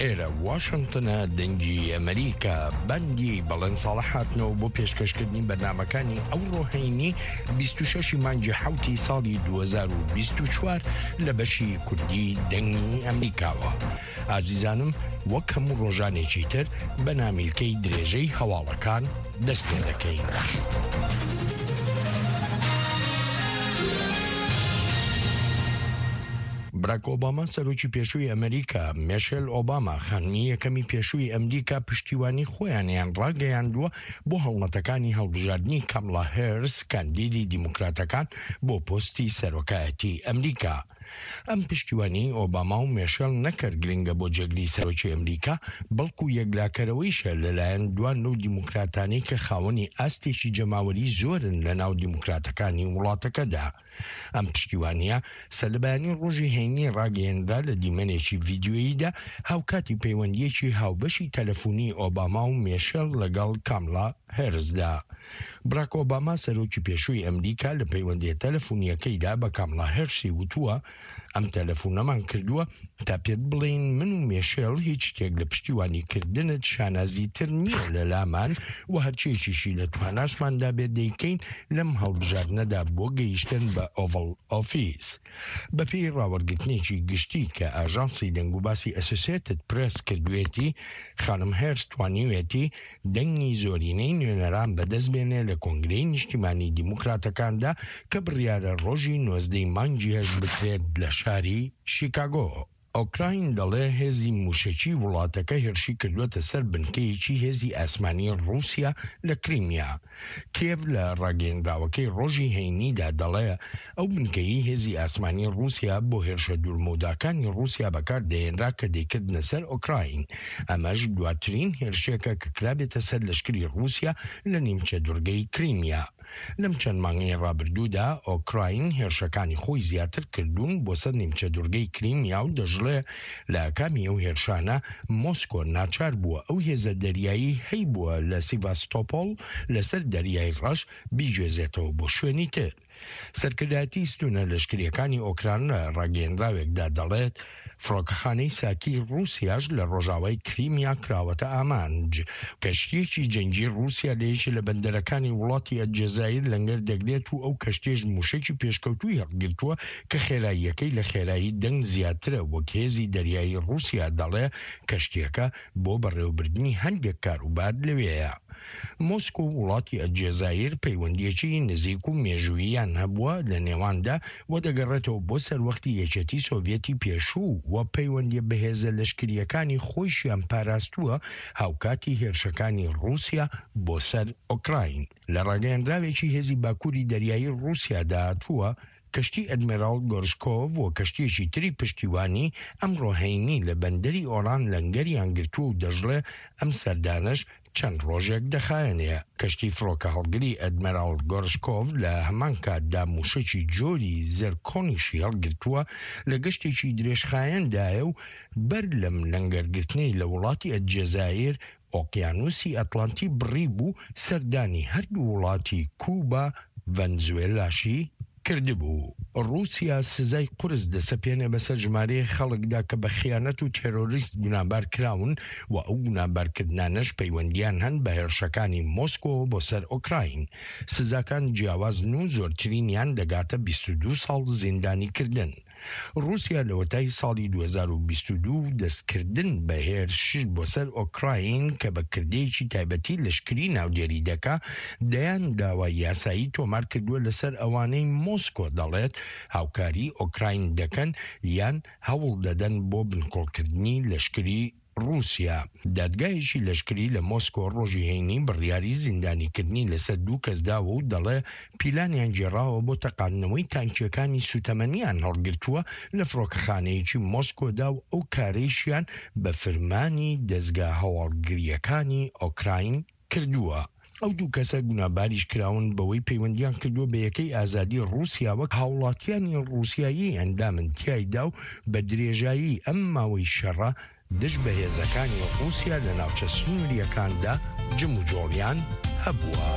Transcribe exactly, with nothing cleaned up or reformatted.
ئێرە واشنتنە، دەنگی ئەمریکا. بەندی بەڵێن ساڵح هاتنەوە بۆ پێشکەشکردنی بەرنامەکانی ئەوڕۆ هەینی بیست و شەش مانگی حەوتی ساڵی دوو هەزار و بیست و چوار لە بەشی کوردی دەنگی ئەمریکاوە. ئازیزانم وەک هەموو ڕۆژانێکی تر بە نامیلکەی درێژەی هەواڵەکان دەست پێ دەکەین. براک ئۆباما سەرۆکی پێشووی ئەمریکا، مێشێل ئۆباما خانمی یەکەمی پێشووی ئەمریکا پشتیوانی خۆیانیان ڕاگەیاندووە بۆ هەڵمەتەکانی هەڵبژاردنی کاملا هێرس کاندیدی دیموکراتەکان بۆ پۆستی سەرۆکایەتی ئەمریکا. ئەم پشتیوانی ئۆباما و مێشێل نەکرد گرنگە بۆ جێگری سەرۆکی ئەمریکا، بەڵکو یەکلاکەرەوەیشە لەلایەن دوان لەو دیموکراتانەی کە خاوەنی ئاستێکی جەماوەری زۆرن لە ناو دیموکراتەکانی وڵاتەکەدا. ئەم پشتیوانیە سەرلەبەیانی ڕۆژی هەینی ڕاگەیەنرا لە دیمەنێکی ڤیدیۆییدا هاوکاتی پەیوەندیەکی هاوبەشی تەلەفۆنی ئۆباما و مێشێل لەگەڵ کاملا هێرسدا. براک ئۆباما سەرۆکی پێشووی ئەمریکا لە پەیوەندیە تەلەفۆنیەکەیدا بە کاملا هێرسی وتووە ئەم تەلەفۆنەمان کردووە تا پێت بڵێین من و مێشێل هیچ شتێک لە پشتیوانیکردنت شانازیتر نییە لە لامان و هەرچێکیشی لە تواناشماندا بێت دەیکەین لەم هەڵبژاردنەدا بۆ گەیشتن بە ئۆڤڵ ئۆفیس. بەپێی ڕاوەرگرتنێکی گشتی کە ئاژانسی دەنگوباسی ئەسۆسیەتد پرێس کردوێتی، خانم هێرس توانیوێتی دەنگی زۆرینەی نوێنەران بەدەست بێنێ لە کۆنگرەی نیشتیمانی دیموکراتەکاندا کە بڕیارە ڕۆژی نۆزدەی مانگی هەشت بکرێت لە شاری شیکاگۆ. ئۆکراین دەڵێ هێزی موشەکی وڵاتەکە هێرشی کردووەتە سەر بنکەیەکی هێزی ئاسمانی ڕووسیا لە کریمیا. کیێڤ لە ڕاگەیەنراوەکەی ڕۆژی هەینیدا دەڵێ ئەو بنکەیەی هێزی ئاسمانی ڕووسیا بۆ هێرشە دوورمەوداکانی ڕووسیا بەکار دەهێنرا کە دەیکردنە سەر ئۆکراین. ئەمەش دواترین هێرشێکە کە کرابێتە سەر لەشکری ڕووسیا لە نیمچە دوورگەی کریمیا. لەم چەند مانگەی ڕابردوودا ئۆکراین هێرشەکانی خۆی زیاتر کردوون بۆ سەر نیمچە دوورگەی کریمیا و دەژڵێ لە ئاکامی ئەو هێرشانە مۆسکۆ ناچار بووە ئەو هێزە دەریایی هەیبووە لە سیڤاستۆپۆل لەسەر دەریای ڕەش بیگوێزێتەوە بۆ شوێنی تر. سەرکردایەتی ستونە لەشکریەکانی ئۆکران لە ڕاگەیەنراوێکدا دەڵێت فڕۆکەخانەی ساکی ڕووسیاش لە ڕۆژاوای کریمیا کراوەتە ئامانج. کەشتیەکی جەنگی ڕووسیا لە یەکێ لە بەندەرەکانی وڵاتی ئەلجەزایر لەنگەر دەگرێت و ئەو کەشتیەش موشەکی پێشکەوتووی هەڵگرتووە کە خێراییەکەی لە خێرایی دەنگ زیاترە، وەک هێزی دەریایی ڕووسیا دەڵێ کەشتیەکە بۆ بەڕێوەبردنی هەندێک کاروبار لەوێیە. مۆسکۆ و وڵاتی ئەلجەزایر پەیوەندیەکی نزیک و مێژووییان هەبووە لە نێواندا و دەگەڕێتەوە بۆ سەروەختی یەکێتی سۆڤیەتی پێشوو و پەیوەندیە بەهێزە لەشکریەکانی خۆیشیان پاراستووە هاوکاتی هێرشەکانی ڕووسیا بۆ سەر ئۆکراین. لە ڕاگەیەنراوێکی هێزی باکووری دەریایی ڕووسیادا هاتووە کەشتی ئەدمیراڵ گۆرشکۆڤ و کەشتیەکی تری پشتیوانی ئەمڕۆ هەینی لە بەندەری ئۆران لەنگەریان گرتووە و دەژڵێ ئەم سەردانەش چەند ڕۆژێک دەخایەنێ. کەشتی فڕۆکە هەڵگری ئەدمیراڵ گۆرشکۆڤ لە هەمان کاتدا موشەکی جۆری زێرکۆنیشی هەڵگرتووە لە گەشتێکی درێژخایەندایە و بەر لەم لەنگەرگرتنەی لە وڵاتی ئەلجەزایر ئۆقیانوسی ئەتلانتی بڕی بوو سەردانی هەردوو وڵاتی کوبا ڤەنزوێلاشی کردبوو. ڕووسیا سزای قورس دەسەپێنێ بەسەر ژمارەیەک خەڵکدا کە بە خیانەت و تێرۆریست گوناهبار کراون و ئەو گوناهبارکردنانەش پەیوەندیان هەن بە هێرشەکانی مۆسکۆوە بۆ سەر ئۆکراین. سزاکان جیاوازن و زۆرترینیان دەگاتە بیست و دوو ساڵ زیندانیکردن. ڕووسیا لەوەتای ساڵی دوو هەزار و بیست و دوو دەستکردن بە هێرش بۆ سەر ئۆکراین کە بە کردەیەکی تایبەتی لەشکری ناودێری دەکا، دەیان داوای یاسایی تۆمار کردووە لەسەر ئەوانەی مۆسکۆ دەڵێت هاوکاری ئۆکراین دەکەن یان هەوڵ دەدەن بۆ بنکۆڵکردنی لەشکری ڕووسیا. دادگایەکی لەشکری لە مۆسکۆ ڕۆژی هەینی بڕیاری زیندانیکردنی لەسەر دوو کەس داوە و دەڵێ پیلانیان گێڕاوە بۆ تەقاندنەوەی تانکیەکانی سوتەمەنیان هەڵگرتووە لە فڕۆکەخانەیەکی مۆسکۆدا و ئەو کارەیشیان بە فرمانی دەزگا هەواڵگرییەکانی ئۆکراین کردووە. ئەو دوو کەسە گوناهباریش کراون بەوەی پەیوەندیان کردووە بە یەکەی ئازادی ڕووسیا وەک هاوڵاتیانی ڕووسیایی ئەندامن تیایدا و بە درێژایی ئەم ماوەی شەڕە دژ بە هێزەکانی ڕووسیا لە ناوچە سنوورییەکاندا جموجۆڵیان هەبووە.